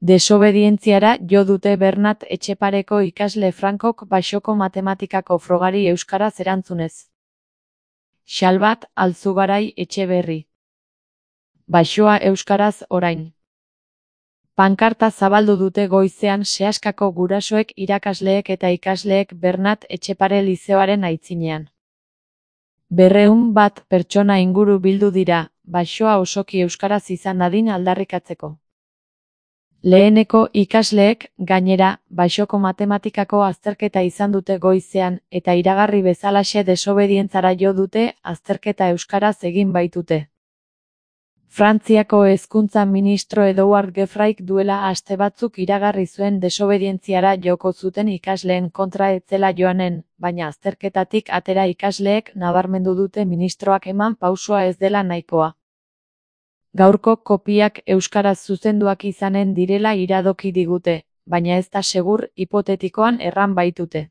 Desobedientziara jo dute Bernat Etxepareko ikasle Frankok Baxoko matematikako frogari euskaraz erantzunez. Xalbat Alzugarai Etxeberri. Baxoa euskaraz orain. Pankarta zabaldu dute goizean Seaskako gurasoek, irakasleek eta ikasleek Bernat Etxepare lizeoaren aitzinean. 200 pertsona inguru bildu dira, baxoa osoki euskaraz izan dadin aldarrikatzeko. Leheneko ikasleek, gainera, Baxoko matematikako azterketa izan dute goizean, eta iragarri bezalaxe desobedientzara jo dute, azterketa euskaraz egin baitute. Frantziako hezkuntza ministro Edouard Gefraik duela aste batzuk iragarri zuen desobedientziara joko zuten ikasleen kontra ez zela joanen, baina azterketatik atera ikasleek nabarmendu dute ministroak eman pausoa ez dela nahikoa. Gaurko kopiak euskaraz zuzenduak izanen direla iradoki digute, baina ez da segur hipotetikoan erran baitute.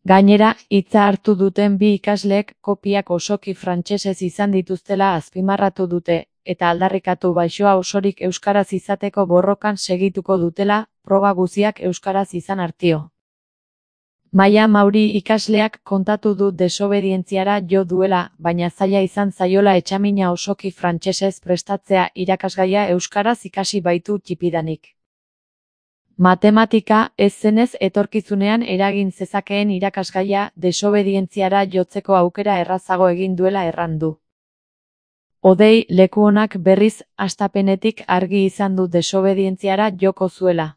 Gainera, hitza hartu duten bi ikasleek kopiak osoki frantsesez izan dituztela azpimarratu dute, eta aldarrikatu Baxoa osorik euskaraz izateko borrokan segituko dutela, proba guztiak euskaraz izan artio. Maia Mauri ikasleak kontatu du desobedientziara jo duela, baina zaila izan zaiola etxamina osoki frantsesez prestatzea, irakasgaia euskaraz ikasi baitu txipidanik. Matematika ez zenez etorkizunean eragin zezakeen irakasgaia desobedientziara jotzeko aukera errazago egin duela erran du. Hodei Lekuonak berriz hastapenetik argi izan du desobedientziara joko zuela.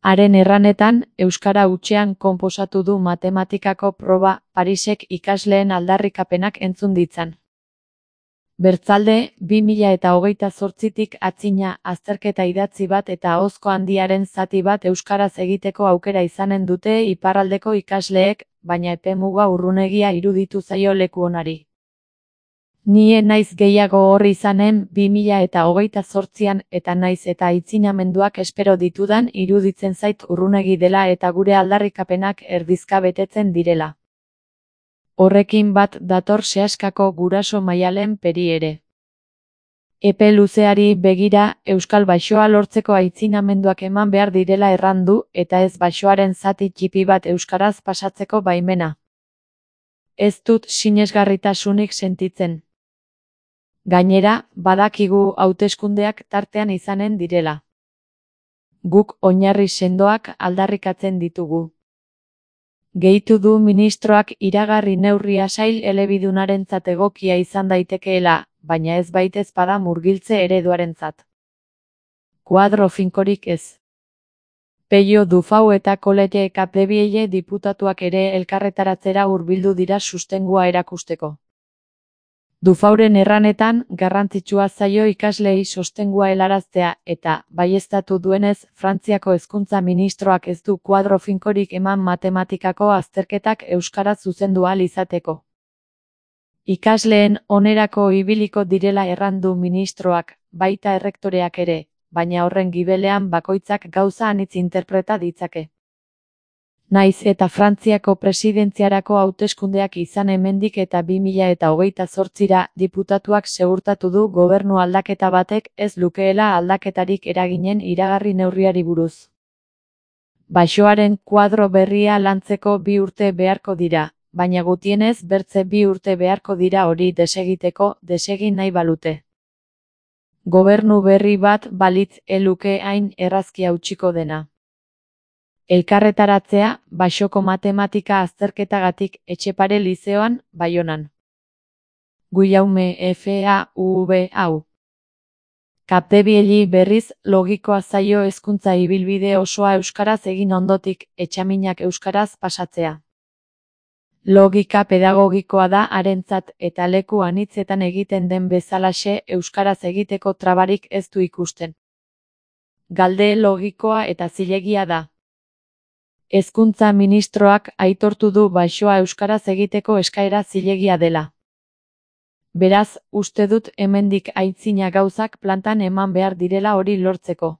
Haren erranetan, euskara hutsean konposatu du matematikako proba, Parisek ikasleen aldarrikapenak entzun ditzan. Bertzalde, 2028tik atzina, azterketa idatzi bat eta ahozko handiaren zati bat euskaraz egiteko aukera izanen dute iparraldeko ikasleek, baina epemuga urrunegia iruditu zaio Lekuonari. Ni naiz gehiago horri izanen 2028an eta naiz eta aitzinamenduak espero ditudan iruditzen zait urrunegi dela eta gure aldarrikapenak erdizka betetzen direla. Horrekin bat dator Seaskako guraso Maialen Peri ere. Epe luzeari begira, Euskal Baxoa lortzeko aitzinamenduak eman behar direla erran du, eta ez Baxoaren zati txipi bat euskaraz pasatzeko baimena. Ez dut sinesgarritasunik sentitzen. Gainera, badakigu hauteskundeak tartean izanen direla. Guk oinarri sendoak aldarrikatzen ditugu. Gehitu du ministroak iragarri neurria sail elebidunarentzat egokia izan daitekeela, baina ez baitez bada murgiltze ereduarentzat. Kuadro finkorik ez. Pello Dufau eta Colette Capdeville diputatuak ere elkarretaratzera hurbildu dira sustengua erakusteko. Dufauren erranetan, garrantzitsua zaio ikasleei sostengua helaraztea, eta, baieztatu duenez, Frantziako hezkuntza ministroak ez du kuadro finkorik eman matematikako azterketak euskaraz zuzendu ahal izateko. Ikasleen onerako ibiliko direla erran du ministroak, baita errektoreak ere, baina horren gibelean bakoitzak gauza anitz interpreta ditzake. Naiz eta Frantziako presidentziarako hauteskundeak izan hemendik eta 2028ra, diputatuak segurtatu du gobernu aldaketa batek ez lukeela aldaketarik eraginen iragarri neurriari buruz. Baxoaren kuadro berria lantzeko 2 urte beharko dira, baina gutienez bertze 2 urte beharko dira hori desegiteko, desegin nahi balute. Gobernu berri bat balitz eluke hain errazki hautsiko dena. Elkarretaratzea, Baxoko matematika azterketagatik Etxepare lizeoan, Baionan. Guillaume FAUV. Capdeville berriz, logikoa zaio hezkuntza ibilbide osoa euskaraz egin ondotik, etxaminak euskaraz pasatzea. Logika pedagogikoa da harentzat eta leku anitzetan egiten den bezalaxe euskaraz egiteko trabarik ez du ikusten. Galde logikoa eta zilegia da. Hezkuntza ministroak aitortu du Baxoa euskaraz egiteko eskaera zilegia dela. Beraz, uste dut hemendik aitzina gauzak plantan eman behar direla hori lortzeko.